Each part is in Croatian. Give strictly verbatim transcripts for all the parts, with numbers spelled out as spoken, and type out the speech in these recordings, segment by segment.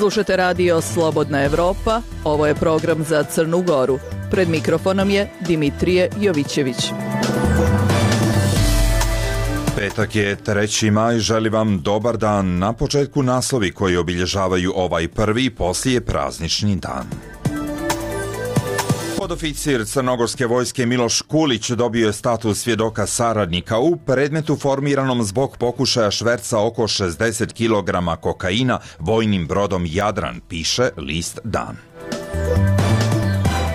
Slušate radio Slobodna Evropa, ovo je program za Crnu Goru. Pred mikrofonom je Dimitrije Jovićević. Petak je treći maj, želi vam dobar dan. Na početku naslovi koji obilježavaju ovaj prvi poslije praznični dan. Podoficir crnogorske vojske Miloš Kulić dobio je status svjedoka saradnika u predmetu formiranom zbog pokušaja šverca oko šezdeset kilograma kokaina vojnim brodom Jadran, piše list Dan.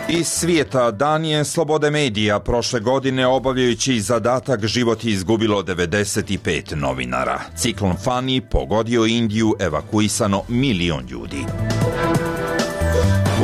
Iz svijeta, dan je slobode medija. Prošle godine obavljajući zadatak život je izgubilo devedeset pet novinara. Ciklon Fani pogodio Indiju, evakuisano milion ljudi.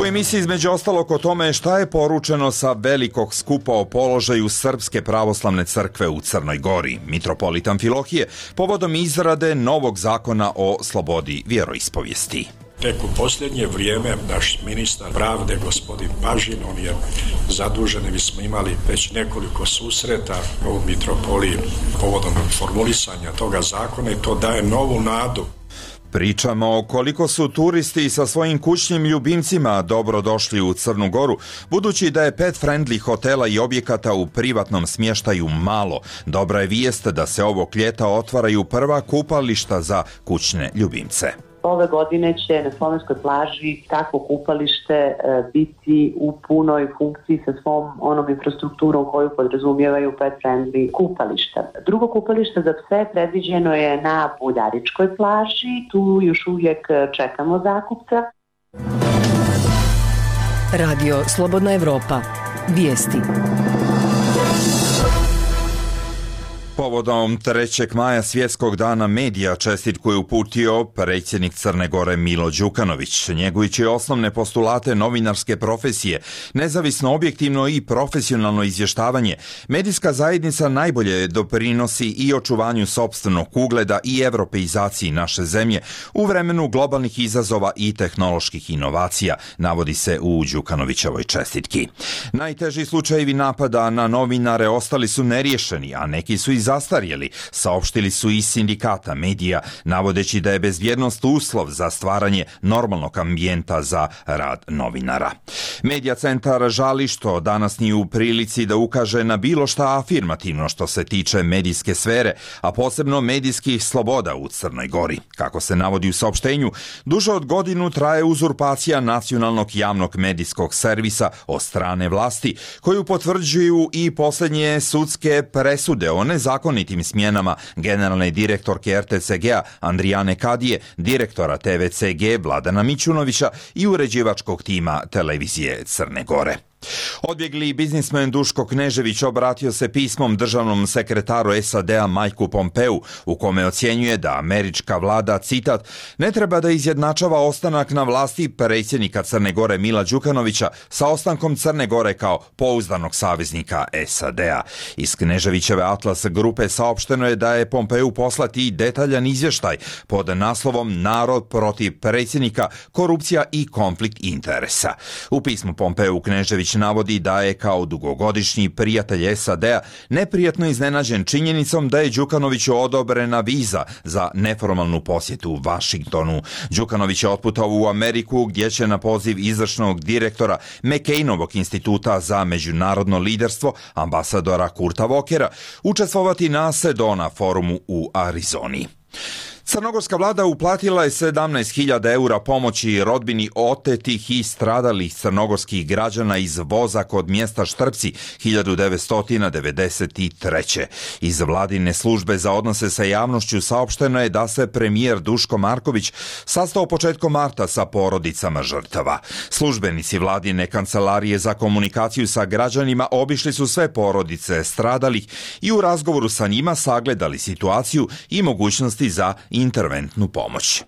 U emisiji između ostalog o tome šta je poručeno sa velikog skupa o položaju Srpske pravoslavne crkve u Crnoj Gori, mitropolit Amfilohije, povodom izrade novog zakona o slobodi vjeroispovijesti. Tek u posljednje vrijeme naš ministar pravde, gospodin Pažin, on je zadužen i mi smo imali već nekoliko susreta u mitropoliji povodom formulisanja toga zakona i to daje novu nadu. Pričamo o koliko su turisti sa svojim kućnim ljubimcima dobro došli u Crnu Goru, budući da je pet-friendly hotela i objekata u privatnom smještaju malo. Dobra je vijest da se ovog ljeta otvaraju prva kupališta za kućne ljubimce. Ove godine će na slovenskoj plaži takvo kupalište e, biti u punoj funkciji sa svom onom infrastrukturom koju podrazumijevaju pet-friendly kupališta. Drugo kupalište za pse predviđeno je na Buljaričkoj plaži, tu još uvijek čekamo zakupca. Radio Slobodna Evropa. Vijesti. Povodom trećeg maja svjetskog dana medija čestitku je uputio predsjednik Crne Gore Milo Đukanović. Njegujući osnovne postulate novinarske profesije, nezavisno, objektivno i profesionalno izvještavanje, medijska zajednica najbolje doprinosi i očuvanju sopstvenog ugleda i europeizaciji naše zemlje u vremenu globalnih izazova i tehnoloških inovacija, navodi se u Đukanovićevoj čestitki. Najteži slučajevi napada na novinare ostali su neriješeni, a neki su i zastarjeli, saopštili su iz sindikata medija, navodeći da je bezbjednost uslov za stvaranje normalnog ambijenta za rad novinara. Medija centar žali što danas nije u prilici da ukaže na bilo šta afirmativno što se tiče medijske sfere, a posebno medijskih sloboda u Crnoj Gori. Kako se navodi u saopštenju, duže od godinu traje uzurpacija nacionalnog javnog medijskog servisa od strane vlasti, koju potvrđuju i posljednje sudske presude o nezakonitim smjenama generalne direktorke er te ce ge-a Andrijane Kadije, direktora te ve ce ge Vladana Mićunovića i uređivačkog tima televizije Crne Gore. Odbjegli biznismen Duško Knežević obratio se pismom državnom sekretaru es a de-a Majku Pompeu, u kome ocjenjuje da američka vlada, citat, ne treba da izjednačava ostanak na vlasti predsjednika Crne Gore Mila Đukanovića sa ostankom Crne Gore kao pouzdanog saveznika es a de-a. Iz Kneževićeve Atlas grupe saopšteno je da je Pompeu poslati detaljan izvještaj pod naslovom Narod protiv predsjednika, korupcija i konflikt interesa. U pismu Pompeu Knežević navodi da je kao dugogodišnji prijatelj es a de-a neprijatno iznenađen činjenicom da je Đukanoviću odobrena viza za neformalnu posjetu Vašingtonu. Đukanović je otputao u Ameriku gdje će na poziv izvršnog direktora McCainovog instituta za međunarodno liderstvo, ambasadora Kurta Walkera, učestvovati na Sedona forumu u Arizoni. Crnogorska vlada uplatila je sedamnaest hiljada eura pomoći rodbini otetih i stradalih crnogorskih građana iz voza kod mjesta Štrpci hiljadu devetsto devedeset treće. Iz vladine službe za odnose sa javnošću saopšteno je da se premijer Duško Marković sastao početkom marta sa porodicama žrtava. Službenici vladine kancelarije za komunikaciju sa građanima obišli su sve porodice stradalih i u razgovoru sa njima sagledali situaciju i mogućnosti za interventnu pomoć.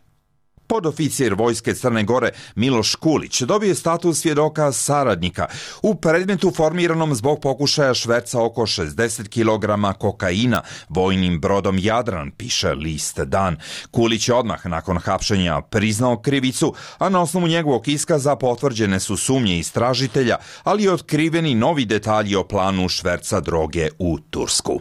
Podoficir vojske Crne Gore Miloš Kulić dobio je status svjedoka saradnika u predmetu formiranom zbog pokušaja šverca oko šezdeset kilograma kokaina vojnim brodom Jadran, piše list Dan. Kulić je odmah nakon hapšenja priznao krivicu, a na osnovu njegovog iskaza potvrđene su sumnje istražitelja, ali i otkriveni novi detalji o planu šverca droge u Tursku.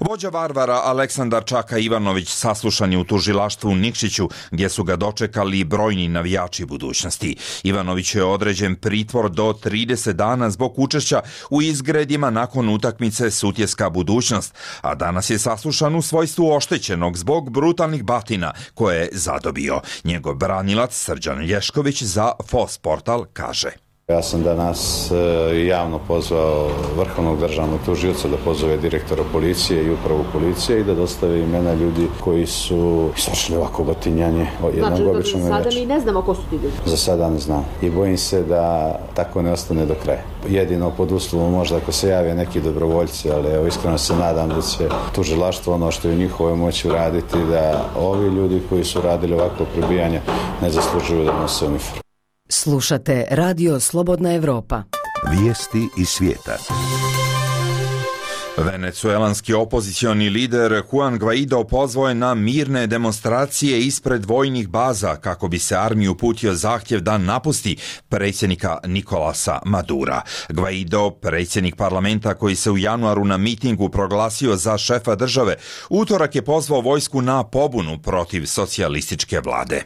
Vođa Varvara Aleksandar Čaka Ivanović saslušan je u tužilaštvu u Nikšiću, gdje su ga dočekali brojni navijači budućnosti. Ivanović je određen pritvor do trideset dana zbog učešća u izgredima nakon utakmice Sutjeska budućnost, a danas je saslušan u svojstvu oštećenog zbog brutalnih batina koje je zadobio. Njegov branilac Srđan Lješković za F O S portal kaže: Ja sam danas javno pozvao vrhovnog državnog tužioca da pozove direktora policije i upravu policije i da dostave imena ljudi koji su izvršili ovako batinjanje jednog znači, običnog navijača. Znači, sada mi ne znamo ko su ti ljudi? Za sada ne znam i bojim se da tako ne ostane do kraja. Jedino pod uslovom možda ako se jave neki dobrovoljci, ali evo, iskreno se nadam da će tužilaštvo ono što je u njihovoj moći uraditi, da ovi ljudi koji su radili ovako prebijanje ne zaslužuju da nose uniformu. Slušate Radio Slobodna Evropa. Vijesti iz svijeta. Venecuelanski opozicioni lider Juan Guaido pozvao je na mirne demonstracije ispred vojnih baza kako bi se armiju uputio zahtjev da napusti predsjednika Nikolasa Madura. Guaido, predsjednik parlamenta koji se u januaru na mitingu proglasio za šefa države, utorak je pozvao vojsku na pobunu protiv socijalističke vlade.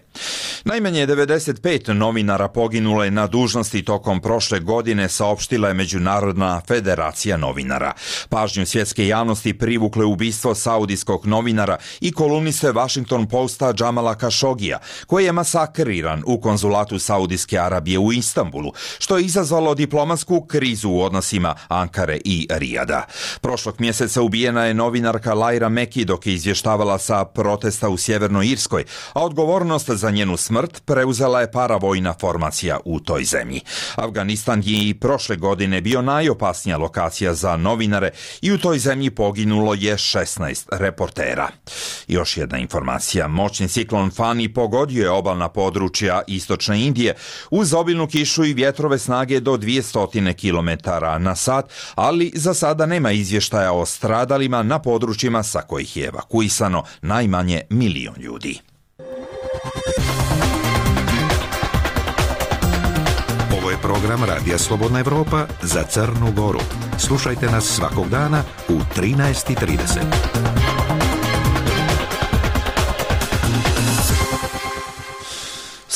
Najmanje devedeset pet novinara poginulo je na dužnosti tokom prošle godine, saopštila je Međunarodna federacija novinara. Pažnju svjetske javnosti privukle ubistvo saudijskog novinara i kolumniste Washington Posta Džamala Kašogija, koji je masakriran u konzulatu Saudijske Arabije u Istanbulu, što je izazvalo diplomatsku krizu u odnosima Ankare i Rijada. Prošlog mjeseca ubijena je novinarka Laira Meki dok je izvještavala sa protesta u Sjevernoj Irskoj, a odgovornost za njenu smrt preuzela je paravojna formacija u toj zemlji. Afganistan je i prošle godine bio najopasnija lokacija za novinare i u toj zemlji poginulo je šesnaest reportera. Još jedna informacija. Moćni ciklon Fani pogodio je obalna područja istočne Indije uz obilnu kišu i vjetrove snage do dvjesto kilometara na sat, ali za sada nema izvještaja o stradalima na područjima sa kojih je evakuisano najmanje milion ljudi. Ovo je program Radija Slobodna Evropa za Crnu Goru. Slušajte nas svakog dana u trinaest i trideset.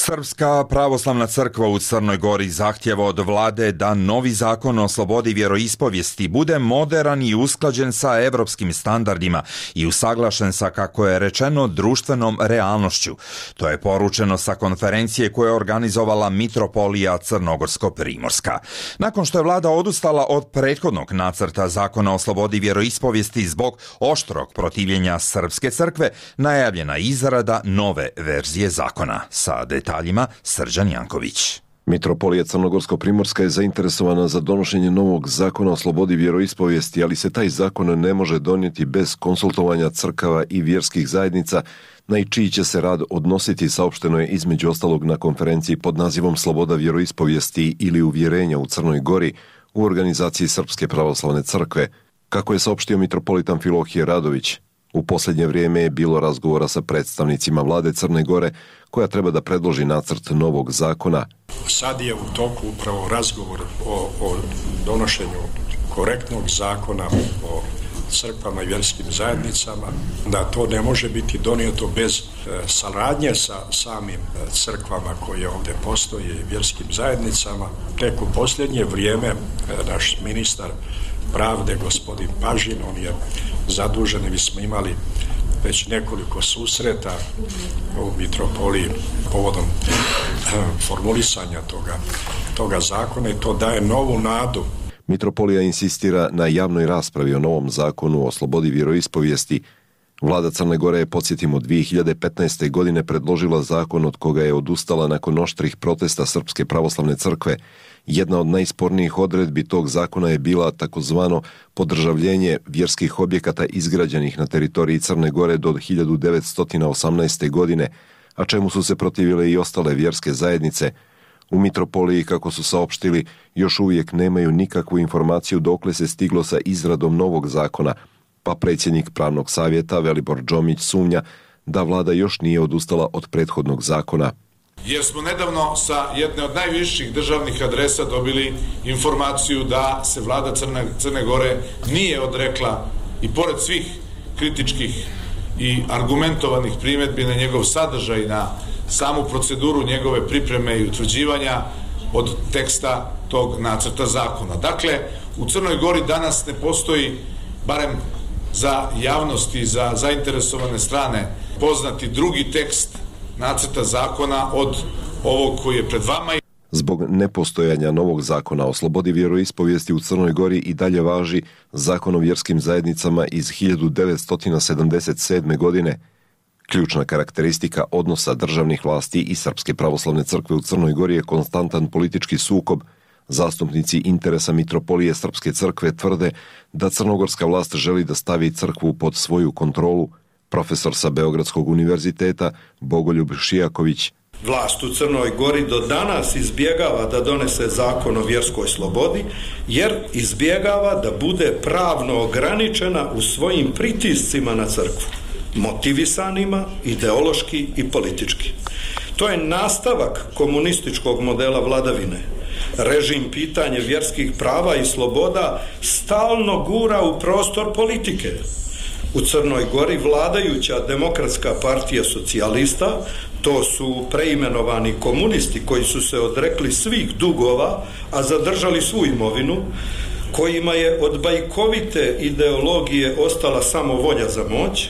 Srpska pravoslavna crkva u Crnoj Gori zahtjeva od vlade da novi zakon o slobodi vjeroispovijesti bude moderan i usklađen sa evropskim standardima i usaglašen sa, kako je rečeno, društvenom realnošću. To je poručeno sa konferencije koje je organizovala Mitropolija Crnogorsko-Primorska. Nakon što je vlada odustala od prethodnog nacrta zakona o slobodi vjeroispovijesti zbog oštrog protivljenja Srpske crkve, najavljena izrada nove verzije zakona. Sa detaljima Srđan Janković. Mitropolija Crnogorsko-Primorska je zainteresovana za donošenje novog zakona o slobodi vjeroispovijesti, ali se taj zakon ne može donijeti bez konsultovanja crkava i vjerskih zajednica, na čiji će se rad odnositi, saopšteno je između ostalog na konferenciji pod nazivom Sloboda vjeroispovijesti ili uvjerenja u Crnoj Gori u organizaciji Srpske pravoslavne crkve. Kako je saopštio mitropolit Amfilohije Radović, u posljednje vrijeme je bilo razgovora sa predstavnicima vlade Crne Gore koja treba da predloži nacrt novog zakona. Sad je u toku upravo razgovor o, o donošenju korektnog zakona o crkvama i vjerskim zajednicama, da to ne može biti donijeto bez e, saradnje sa samim crkvama koje ovdje postoje i vjerskim zajednicama. Tek u posljednje vrijeme e, naš ministar pravde, gospodin Pažin, on je zadužen i mi smo imali već nekoliko susreta u mitropoliji povodom formulisanja toga, toga zakona i to daje novu nadu. Mitropolija insistira na javnoj raspravi o novom zakonu o slobodi vjeroispovijesti. Vlada Crne Gore je, podsjetimo, dvije hiljade petnaeste. godine predložila zakon od koga je odustala nakon oštrih protesta Srpske pravoslavne crkve. Jedna od najspornijih odredbi tog zakona je bila takozvano podržavljenje vjerskih objekata izgrađenih na teritoriji Crne Gore do hiljadu devetsto osamnaeste. godine, a čemu su se protivile i ostale vjerske zajednice. U mitropoliji, kako su saopštili, još uvijek nemaju nikakvu informaciju dokle se stiglo sa izradom novog zakona, pa predsjednik pravnog savjeta Velibor Džomić sumnja da vlada još nije odustala od prethodnog zakona. Jer smo nedavno sa jedne od najviših državnih adresa dobili informaciju da se vlada Crne, Crne Gore nije odrekla i pored svih kritičkih i argumentovanih primjedbi na njegov sadržaj, na samu proceduru njegove pripreme i utvrđivanja od teksta tog nacrta zakona. Dakle, u Crnoj Gori danas ne postoji, barem za javnost i za zainteresovane strane, poznati drugi tekst nacrta zakona od ovog koji je pred vama. Zbog nepostojanja novog zakona o slobodi vjeroispovijesti u Crnoj Gori i dalje važi Zakon o vjerskim zajednicama iz hiljadu devetsto sedamdeset sedme. godine. Ključna karakteristika odnosa državnih vlasti i Srpske pravoslavne crkve u Crnoj Gori je konstantan politički sukob. Zastupnici interesa Mitropolije Srpske crkve tvrde da crnogorska vlast želi da stavi crkvu pod svoju kontrolu. Profesor sa Beogradskog univerziteta Bogoljub Šijaković: Vlast u Crnoj Gori do danas izbjegava da donese zakon o vjerskoj slobodi, jer izbjegava da bude pravno ograničena u svojim pritiscima na crkvu, motivisanima ideološki i politički. To je nastavak komunističkog modela vladavine. Režim pitanje vjerskih prava i sloboda stalno gura u prostor politike. U Crnoj Gori vladajuća Demokratska partija socijalista, to su preimenovani komunisti koji su se odrekli svih dugova, a zadržali svu imovinu, kojima je od bajkovite ideologije ostala samo volja za moć.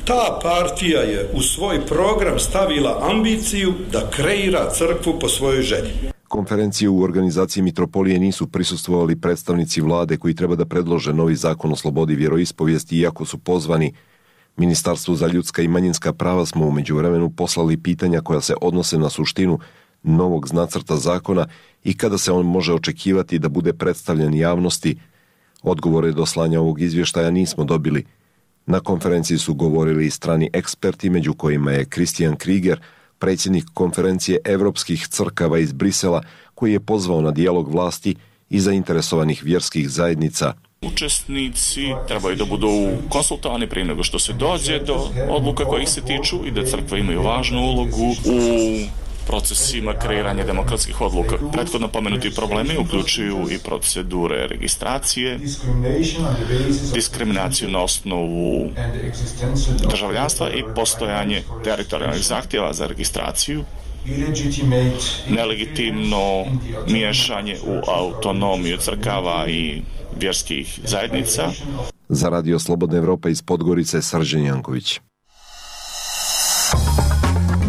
Ta partija je u svoj program stavila ambiciju da kreira crkvu po svojoj želji. Konferenciji u organizaciji Mitropolije nisu prisustvovali predstavnici vlade koji treba da predlože novi zakon o slobodi vjeroispovijesti, iako su pozvani. Ministarstvu za ljudska i manjinska prava smo u međuvremenu poslali pitanja koja se odnose na suštinu novog nacrta zakona i kada se on može očekivati da bude predstavljen javnosti. Odgovore do slanja ovog izvještaja nismo dobili. Na konferenciji su govorili i strani eksperti, među kojima je Christian Krieger, predsjednik konferencije evropskih crkava iz Brisela, koji je pozvao na dijalog vlasti i zainteresovanih vjerskih zajednica. Učesnici trebaju da budu konsultovani prije nego što se dođe do odluka kojih se tiču i da crkve imaju važnu ulogu u procesima kreiranja demokratskih odluka. Prethodno pomenuti problemi uključuju i procedure registracije, diskriminaciju na osnovu državljanstva i postojanje teritorijalnih zahtjeva za registraciju, nelegitimno miješanje u autonomiju crkava i vjerskih zajednica. Za Radio Slobodna Evropa iz Podgorice, Srđan Janković.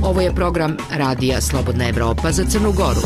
Ovo je program Radija Slobodna Evropa za Crnu Goru.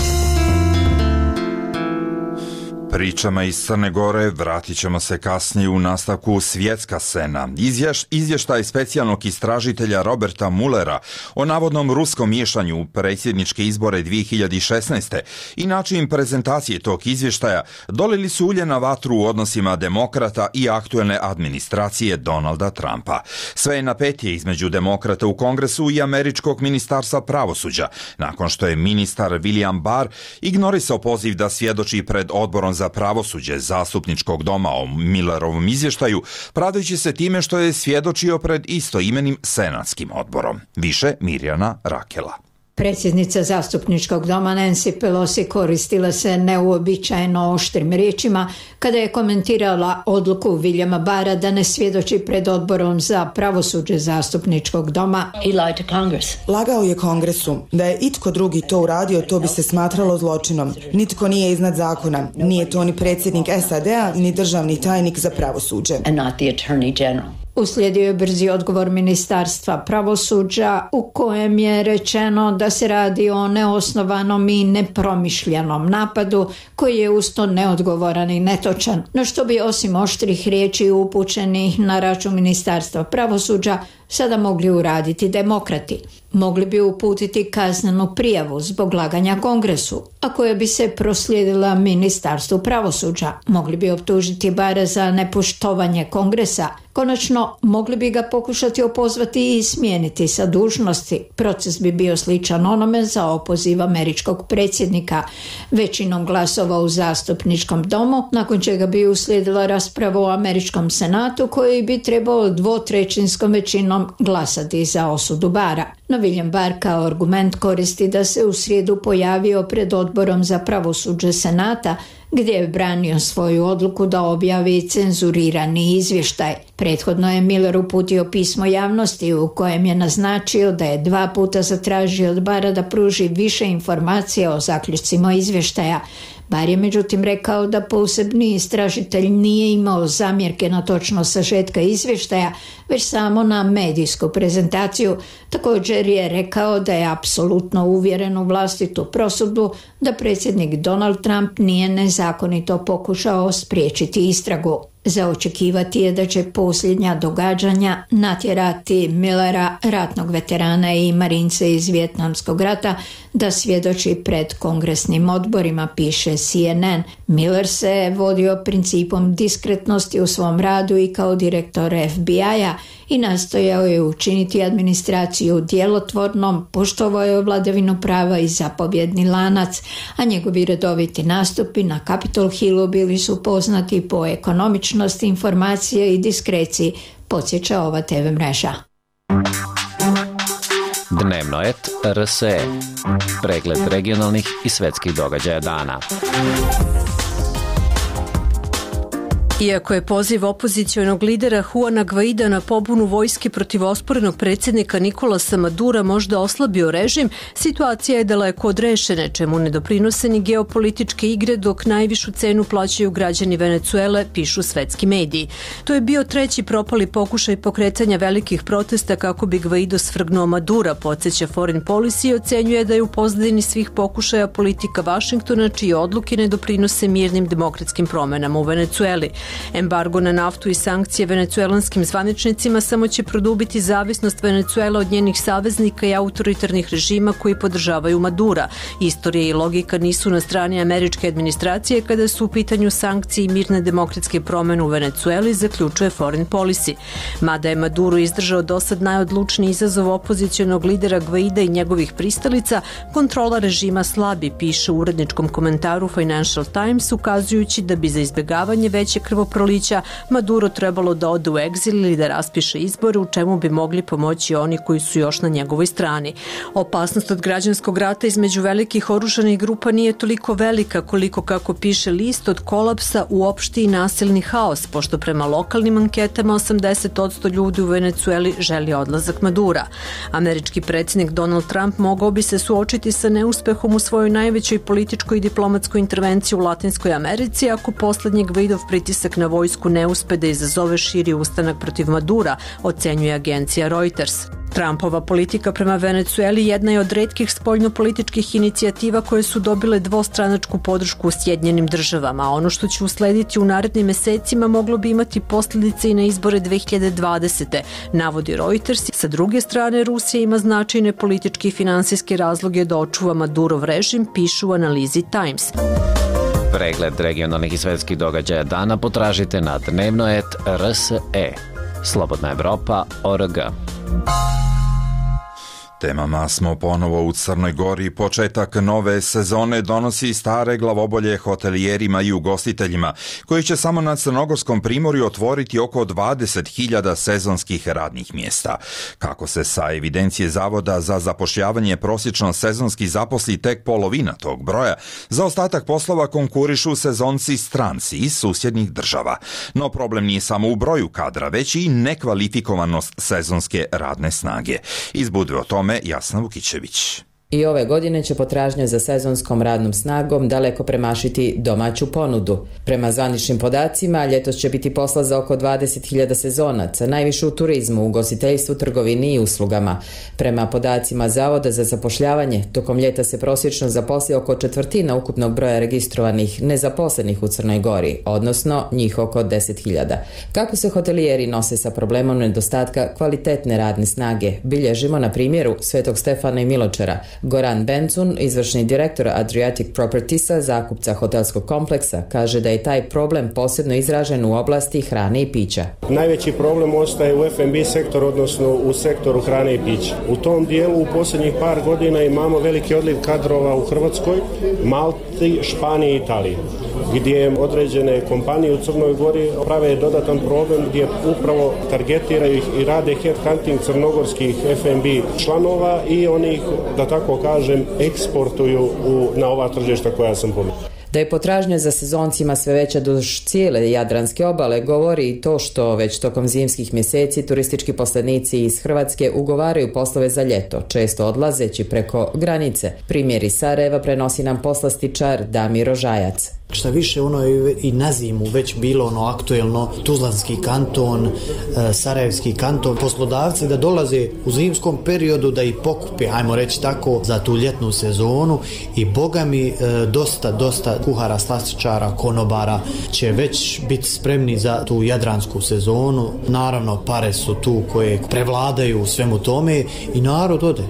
Pričama iz Crne Gore vratit ćemo se kasnije u nastavku svjetska scena. Izvješ, izvještaj specijalnog istražitelja Roberta Mullera o navodnom ruskom miješanju u predsjedničke izbore dvije hiljade šesnaeste. i način prezentacije tog izvještaja dolili su ulje na vatru u odnosima demokrata i aktuelne administracije Donalda Trumpa. Sve je napetije između demokrata u Kongresu i američkog ministarstva pravosuđa, nakon što je ministar William Barr ignorisao poziv da svjedoči pred odborom za pravosuđe zastupničkog doma o Millerovom izvještaju, pravdajući se time što je svjedočio pred istoimenim senatskim odborom. Više Mirjana Rakela. Predsjednica zastupničkog doma Nancy Pelosi koristila se neuobičajeno oštrim riječima kada je komentirala odluku Williama Barra da ne svjedoči pred odborom za pravosuđe zastupničkog doma. Lagao je Kongresu. Da je itko drugi to uradio, to bi se smatralo zločinom. Nitko nije iznad zakona. Nije to ni predsjednik S A D-a, ni državni tajnik za pravosuđe. Uslijedio je brzi odgovor ministarstva pravosuđa u kojem je rečeno da se radi o neosnovanom i nepromišljenom napadu koji je usto neodgovoran i netočan. No što bi osim oštrih riječi upućenih na račun ministarstva pravosuđa sada mogli uraditi demokrati? Mogli bi uputiti kaznenu prijavu zbog laganja Kongresu, a koja bi se proslijedila ministarstvu pravosuđa. Mogli bi optužiti Barra za nepoštovanje Kongresa. Konačno, mogli bi ga pokušati opozvati i smijeniti sa dužnosti. Proces bi bio sličan onome za opoziv američkog predsjednika većinom glasova u zastupničkom domu, nakon čega bi uslijedila rasprava u američkom senatu koji bi trebao dvotrećinskom većinom glasati za osudu Barra. No William Barr kao argument koristi da se u srijedu pojavio pred odborom za pravosuđe senata gdje je branio svoju odluku da objavi cenzurirani izvještaj. Prethodno je Miller uputio pismo javnosti u kojem je naznačio da je dva puta zatražio od Bara da pruži više informacija o zaključcima izvještaja. Bar je međutim rekao da posebni istražitelj nije imao zamjerke na točnost sažetka izvještaja, već samo na medijsku prezentaciju. Također je rekao da je apsolutno uvjeren u vlastitu prosudbu da predsjednik Donald Trump nije nezakonito pokušao spriječiti istragu. Za očekivati je da će posljednja događanja natjerati Millera, ratnog veterana i marince iz Vijetnamskog rata, da svjedoči pred kongresnim odborima, piše C N N. Miller se vodio principom diskretnosti u svom radu i kao direktor F B I-a i nastojao je učiniti administraciju djelotvornom, poštovao je vladavinu prava i zapovjedni lanac, a njegovi redoviti nastupi na Capitol Hillu bili su poznati po ekonomičnosti informacije i diskreciji, podsjeća ova te ve mreža. Dnevno et R S E. Pregled regionalnih i svetskih događaja dana. Iako je poziv opozicionog lidera Juana Guaida na pobunu vojske protiv osporenog predsjednika Nicolasa Madura možda oslabio režim, situacija je daleko od rešene, čemu ne doprinose ni geopolitičke igre, dok najvišu cenu plaćaju građani Venecuele, pišu svetski mediji. To je bio treći propali pokušaj pokretanja velikih protesta kako bi Guaido svrgnuo Madura, podsjeća Foreign Policy i ocenjuje da je u pozadini svih pokušaja politika Vašingtona, čije odluke ne doprinose mirnim demokratskim promenama u Venecueli. Embargo na naftu i sankcije venecuelanskim zvaničnicima samo će produbiti zavisnost Venecuela od njenih saveznika i autoritarnih režima koji podržavaju Madura. Istorija i logika nisu na strani američke administracije kada su u pitanju sankcije i mirne demokratske promene u Venecueli, zaključuje Foreign Policy. Mada je Maduro izdržao dosad najodlučniji izazov opozicionog lidera Guaida i njegovih pristalica, kontrola režima slabi, piše u uredničkom komentaru Financial Times, ukazujući da bi za izbjegavanje veće krvoprolića Maduro trebalo da ode u egzil ili da raspiše izbore, u čemu bi mogli pomoći oni koji su još na njegovoj strani. Opasnost od građanskog rata između velikih oružanih grupa nije toliko velika koliko, kako piše list, od kolapsa u opšti i nasilni haos, pošto prema lokalnim anketama osamdeset posto ljudi u Venecueli želi odlazak Madura. Američki predsjednik Donald Trump mogao bi se suočiti sa neuspehom u svojoj najvećoj političkoj i diplomatskoj intervenciji u Latinskoj Americi ako poslednji Guaidov pritisak na vojsku ne uspe da izazove širi ustanak protiv Madura, ocenjuje agencija Reuters. Trumpova politika prema Venecueli jedna je od retkih spoljnopolitičkih inicijativa koje su dobile dvostranačku podršku u Sjedinjenim državama, a ono što će uslediti u narednim mesecima moglo bi imati posljedice i na izbore dve hiljade dvadesete. navodi Reuters. Sa druge strane, Rusija ima značajne političke i finansijske razloge da očuva Madurov režim, pišu u analizi Times. Pregled regionalnih i svetskih događaja dana potražite na dnevno et R S E. Slobodna Evropa, O R G. Temama smo ponovo u Crnoj Gori. Početak nove sezone donosi stare glavobolje hotelijerima i ugostiteljima, koji će samo na Crnogorskom primorju otvoriti oko dvadeset hiljada sezonskih radnih mjesta. Kako se sa evidencije Zavoda za zapošljavanje prosječno sezonski zaposli tek polovina tog broja, za ostatak poslova konkurišu sezonci stranci iz susjednih država. No problem nije samo u broju kadra, već i nekvalifikovanost sezonske radne snage. Iz Budve o tome Jasna Vukićević. I ove godine će potražnja za sezonskom radnom snagom daleko premašiti domaću ponudu. Prema zvaničnim podacima, ljetos će biti posla za oko dvadeset hiljada sezonaca, najviše u turizmu, ugostiteljstvu, trgovini i uslugama. Prema podacima Zavoda za zapošljavanje, tokom ljeta se prosječno zaposli oko četvrtina ukupnog broja registrovanih nezaposlenih u Crnoj Gori, odnosno njih oko deset hiljada. Kako se hotelijeri nose sa problemom nedostatka kvalitetne radne snage, bilježimo na primjeru Svetog Stefana i Miločara. Goran Bencun, izvršni direktor Adriatic Propertiesa, zakupca hotelskog kompleksa, kaže da je taj problem posebno izražen u oblasti hrane i pića. Najveći problem ostaje u F and B sektoru, odnosno u sektoru hrane i pića. U tom dijelu u posljednjih par godina imamo veliki odliv kadrova u Hrvatskoj, Malti, Španiji i Italiji, gdje određene kompanije u Crnoj Gori prave dodatan problem gdje upravo targetiraju i rade headhunting crnogorskih F and B članova i onih, da tako kažem, eksportuju u, na ova tržišta koja sam pomenuo. Da je potražnja za sezoncima sve veća duž cijele jadranske obale govori i to što već tokom zimskih mjeseci turistički poslanici iz Hrvatske ugovaraju poslove za ljeto, često odlazeći preko granice. Primjer iz Sarajeva prenosi nam poslastičar Damir Ožajac. Šta više, ono je i na zimu već bilo ono aktuelno, Tuzlanski kanton, Sarajevski kanton, poslodavci da dolaze u zimskom periodu da ih pokupe, ajmo reći tako, za tu ljetnu sezonu i boga mi dosta, dosta kuhara, slastičara, konobara će već biti spremni za tu jadransku sezonu. Naravno, pare su tu koje prevladaju u svemu tome i narod ode.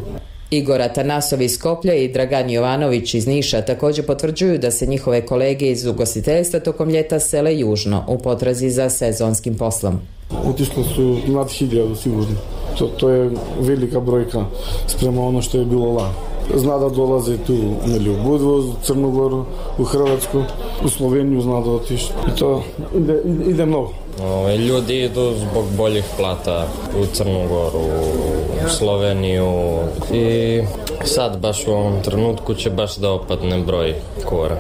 Igor Atanasov iz Skoplja i Dragan Jovanović iz Niša također potvrđuju da se njihove kolege iz ugostiteljstva tokom ljeta sele južno u potrazi za sezonskim poslom. Otišlo su nad hiljadu sigurno. To, to je velika brojka sprema ono što je bilo lani. Zna da dolaze tu u Budvu, u Crnu Goru, u Hrvatsku, u Sloveniju zna da otišli. I to ide, ide, ide mnogo. Ove, ljudi idu zbog boljih plata u Crnu Goru, u Sloveniju i sad baš u ovom trenutku će baš da opadne broj kora.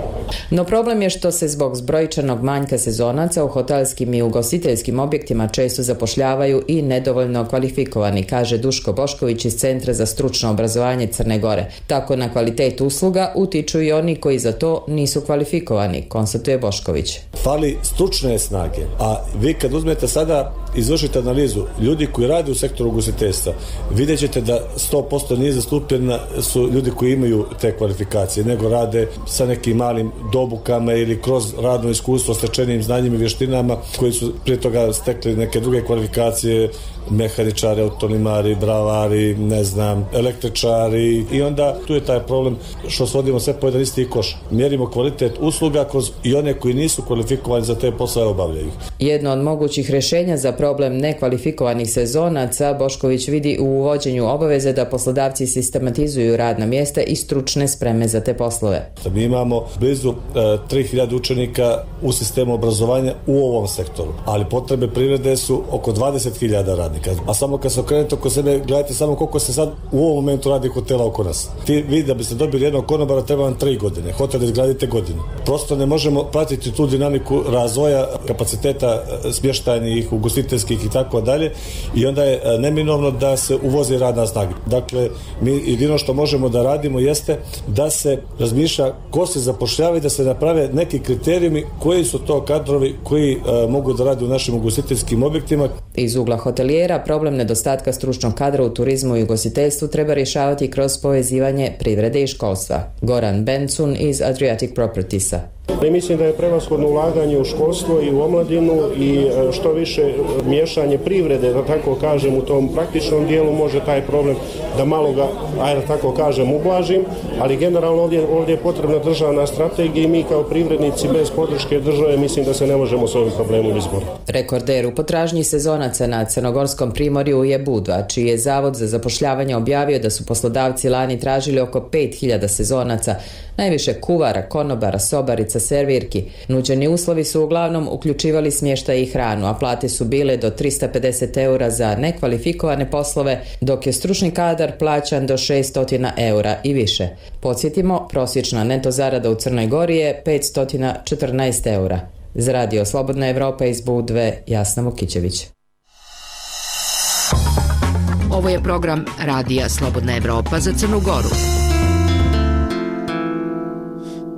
No problem je što se zbog zbrojčanog manjka sezonaca u hotelskim i ugostiteljskim objektima često zapošljavaju i nedovoljno kvalifikovani, kaže Duško Bošković iz Centra za stručno obrazovanje Crne Gore. Tako na kvalitet usluga utiču i oni koji za to nisu kvalifikovani, konstatuje Bošković. Fali stručne snage, a vi kad uzmete sada, izvršite analizu ljudi koji rade u sektoru ugostiteljstva, vidjet ćete da sto posto nije zastupljena su ljudi koji imaju te kvalifikacije, nego rade sa nekim malim dobukama ili kroz radno iskustvo, stečenim znanjima i vještinama koji su prije toga stekli neke druge kvalifikacije, mehaničari, autonomari, bravari, ne znam, električari i onda tu je taj problem što svodimo sve po jedan isti koš. Mjerimo kvalitet usluga kroz i one koji nisu kvalifikovani za te poslove obavljaju. Jedno od mogućih rješenja za problem nekvalifikovanih sezonaca Bošković vidi u uvođenju obaveze da poslodavci sistematizuju radna mjesta i stručne spreme za te poslove. Mi imamo blizu e, tri hiljade učenika u sistemu obrazovanja u ovom sektoru, ali potrebe privrede su oko dvadeset hiljada radnika. A samo kad se okrenete oko sebe, gledajte samo koliko se sad u ovom momentu radi hotela oko nas. Ti, vi da biste dobili jednog konobara treba vam tri godine, hotel izgradite godinu. Prosto ne možemo pratiti tu dinamiku razvoja kapaciteta smještajnih, ugostiteljskih i tako dalje i onda je neminovno da se uvozi radna snaga. Dakle, mi jedino što možemo da radimo jeste da se razmišlja ko se zapošljava i da se naprave neki kriterijumi koji su to kadrovi koji uh, mogu da rade u našim ugostiteljskim objektima. Iz ugla hotelijera problem nedostatka stručnog kadra u turizmu i ugostiteljstvu treba rješavati kroz povezivanje privrede i školstva. Goran Bencun iz Adriatic Propertiesa. I mislim da je prevashodno ulaganje u školstvo i u omladinu i što više miješanje privrede, da tako kažem, u tom praktičnom dijelu može taj problem da malo ga, ajde tako kažem, ublažim, ali generalno ovdje, ovdje je potrebna državna strategija i mi kao privrednici bez podrške države mislim da se ne možemo s ovim problemom izboriti. Rekorder u potražnji sezonaca na Crnogorskom primorju je Budva, čiji je Zavod za zapošljavanje objavio da su poslodavci lani tražili oko pet hiljada sezonaca, najviše kuvara, konobara, sobarica, servirki. Nuđeni uslovi su uglavnom uključivali smještaj i hranu, a plate su bile do tristo pedeset eura za nekvalifikovane poslove, dok je stručni kadar plaćan do šesto eura i više. Podsjetimo, prosječna neto zarada u Crnoj Gori je petsto četrnaest eura. Za Radio Slobodna Evropa iz Budve, Jasna Vukićević. Ovo je program Radija Slobodna Evropa za Crnu Goru.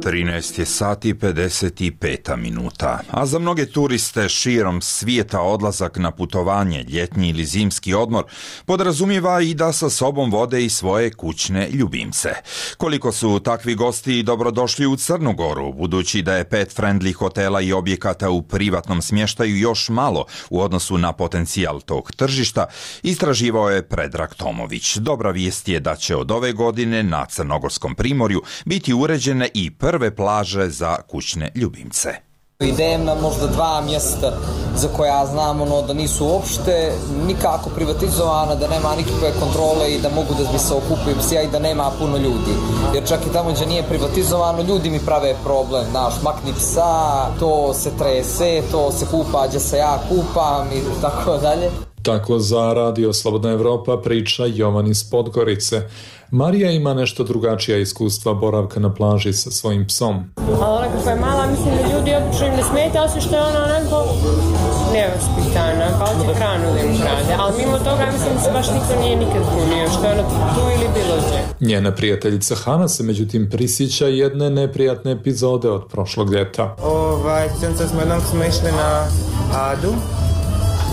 trinaest je sati pedeset pet minuta, a za mnoge turiste širom svijeta odlazak na putovanje, ljetni ili zimski odmor, podrazumijeva i da sa sobom vode i svoje kućne ljubimce. Koliko su takvi gosti dobrodošli u Crnu Goru, budući da je pet-friendly hotela i objekata u privatnom smještaju još malo u odnosu na potencijal tog tržišta, istraživao je Predrag Tomović. Dobra vijest je da će od ove godine na Crnogorskom primorju biti uređene i prve plaže za kućne ljubimce. Idem na možda dva mjesta za koja znam ono, da nisu uopšte nikako privatizovana, da nema nikakve kontrole i da mogu da se okupujem psija i da nema puno ljudi. Jer čak i tamo gdje nije privatizovano, ljudi mi prave problem, znaš, makni psa, to se trese, to se kupa gdje se ja kupam i tako dalje. Tako za Radio Slobodna Evropa priča Jovan iz Podgorice. Marija ima nešto drugačija iskustva boravka na plaži sa svojim psom. Ali ona kako je mala, mislim da ljudi obično im ne smeta, osim što je ona onako nevaspitana, pa hoće hranu da im krade. Ali mimo toga, mislim da se baš niko nije nikad bunio, što je ona tu ili bilo gdje. Njena prijateljica Hana se međutim prisjeća jedne neprijatne epizode od prošlog ljeta. Ovaj, sjećam smo jednom smo išli na Adu,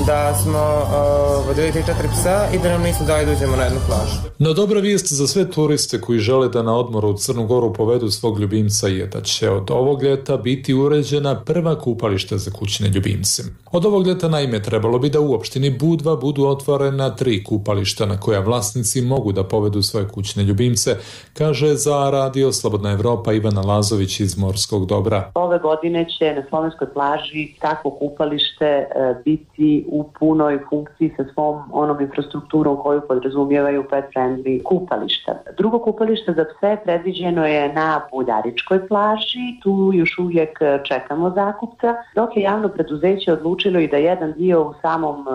da smo uh, vodili tri četiri psa i da nam nisu dali da uđemo na jednu plažu. No dobra vijest za sve turiste koji žele da na odmoru u Crnu Goru povedu svog ljubimca je da će od ovog ljeta biti uređena prva kupališta za kućne ljubimce. Od ovog ljeta naime trebalo bi da u opštini Budva budu otvorena tri kupališta na koja vlasnici mogu da povedu svoje kućne ljubimce, kaže za Radio Slobodna Evropa Ivana Lazović iz Morskog Dobra. Ove godine će na slovenskoj plaži takvo kupalište e, biti u punoj funkciji sa svom onom infrastrukturom koju podrazumijevaju pet-friendly kupališta. Drugo kupalište za pse predviđeno je na Buljaričkoj plaži, tu još uvijek čekamo zakupca, dok je javno preduzeće odlučilo i da jedan dio u samom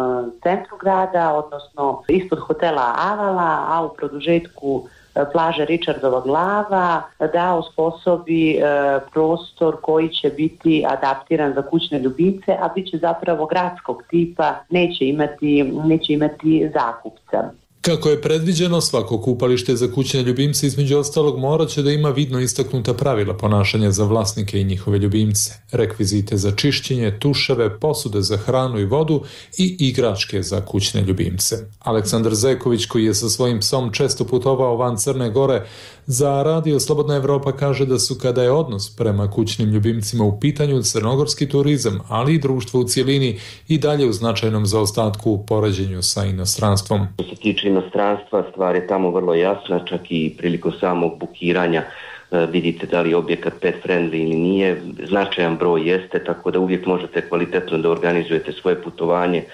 centru grada, odnosno ispod hotela Avala, a u produžetku plaže Richardova glava, da osposobi e, prostor koji će biti adaptiran za kućne ljubimce, a bit će zapravo gradskog tipa, neće imati, neće imati zakupca. Kako je predviđeno, svako kupalište za kućne ljubimce između ostalog morat će da ima vidno istaknuta pravila ponašanja za vlasnike i njihove ljubimce, rekvizite za čišćenje, tuševe, posude za hranu i vodu i igračke za kućne ljubimce. Aleksandar Zeković, koji je sa svojim psom često putovao van Crne Gore, za Radio Slobodna Evropa kaže da su kada je odnos prema kućnim ljubimcima u pitanju crnogorski turizam, ali i društvo u cijelini i dalje u značajnom zaostatku u poređenju sa inostranstvom. Što se tiče inostranstva, stvar je tamo vrlo jasna, čak i prilikom samog bukiranja vidite da li je objekat pet friendly ili nije, značajan broj jeste, tako da uvijek možete kvalitetno da organizujete svoje putovanje,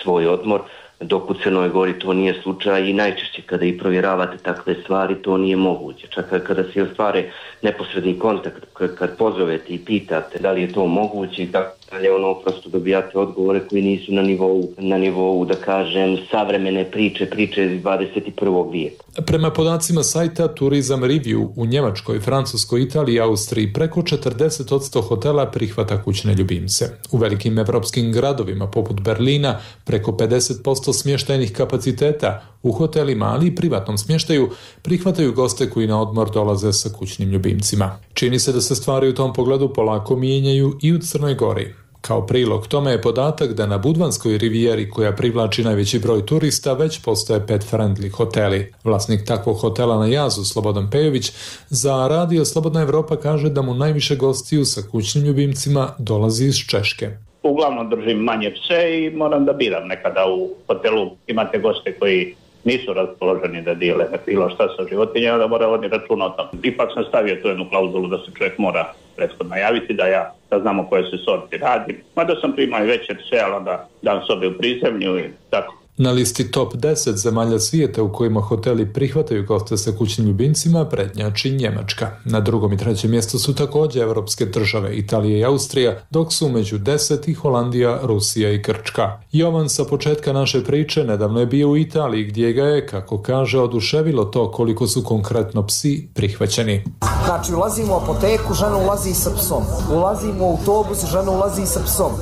svoj odmor, dok u Crnoj Gori to nije slučaj i najčešće kada i provjeravate takve stvari to nije moguće. Čak kada se ostvare neposredni kontakt, kad pozovete i pitate da li je to moguće i tako dalje, ono prosto dobijate odgovore koji nisu na nivou, na nivou da kažem, savremene priče, priče iz dvadeset prvog vijeka. Prema podacima sajta Tourism Review u Njemačkoj, Francuskoj, Italiji i Austriji preko četrdeset posto hotela prihvata kućne ljubimce. U velikim evropskim gradovima poput Berlina preko pedeset posto smještajnih kapaciteta u hotelima, ali i privatnom smještaju prihvataju goste koji na odmor dolaze sa kućnim ljubimcima. Čini se da se stvari u tom pogledu polako mijenjaju i u Crnoj Gori. Kao prilog tome je podatak da na Budvanskoj rivijeri, koja privlači najveći broj turista, već postoje pet-friendly hoteli. Vlasnik takvog hotela na Jazu, Slobodan Pejović, za Radio Slobodna Evropa kaže da mu najviše gostiju sa kućnim ljubimcima dolazi iz Češke. Uglavnom držim manje pse i moram da biram. Nekada u hotelu imate goste koji nisu raspoloženi da dijele bilo šta sa životinjama, da mora voditi računa o tom. Ipak sam stavio tu jednu klauzulu da se čovjek mora prethodno javiti, da ja da znamo koje se sorti radi. Mada sam primao i veće pse, ali onda dam sobe u prizemlju i tako. Na listi top deset zemalja svijeta u kojima hoteli prihvataju goste sa kućnim ljubimcima prednjači Njemačka. Na drugom i trećem mjestu su također evropske države Italija i Austrija, dok su među deset i Holandija, Rusija i Grčka. Jovan sa početka naše priče nedavno je bio u Italiji, gdje ga je, kako kaže, oduševilo to koliko su konkretno psi prihvaćeni. Znači, ulazimo u apoteku, žena ulazi sa psom. Ulazimo u autobus, žena ulazi sa psom.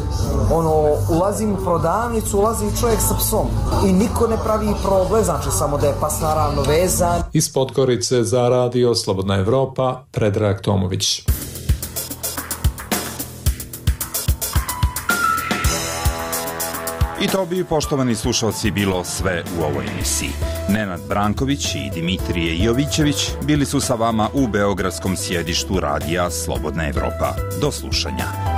Ono, ulazimo u prodavnicu, ulazi čovjek sa psom. I niko ne pravi problem, znači samo da je pas naravno vezan. Iz Podgorice za Radio Slobodna Evropa, Predrag Tomović. I to bi, poštovani slušalci, bilo sve u ovoj emisiji. Nenad Branković i Dimitrije Jovićević bili su sa vama u beogradskom sjedištu Radija Slobodna Evropa. Do slušanja.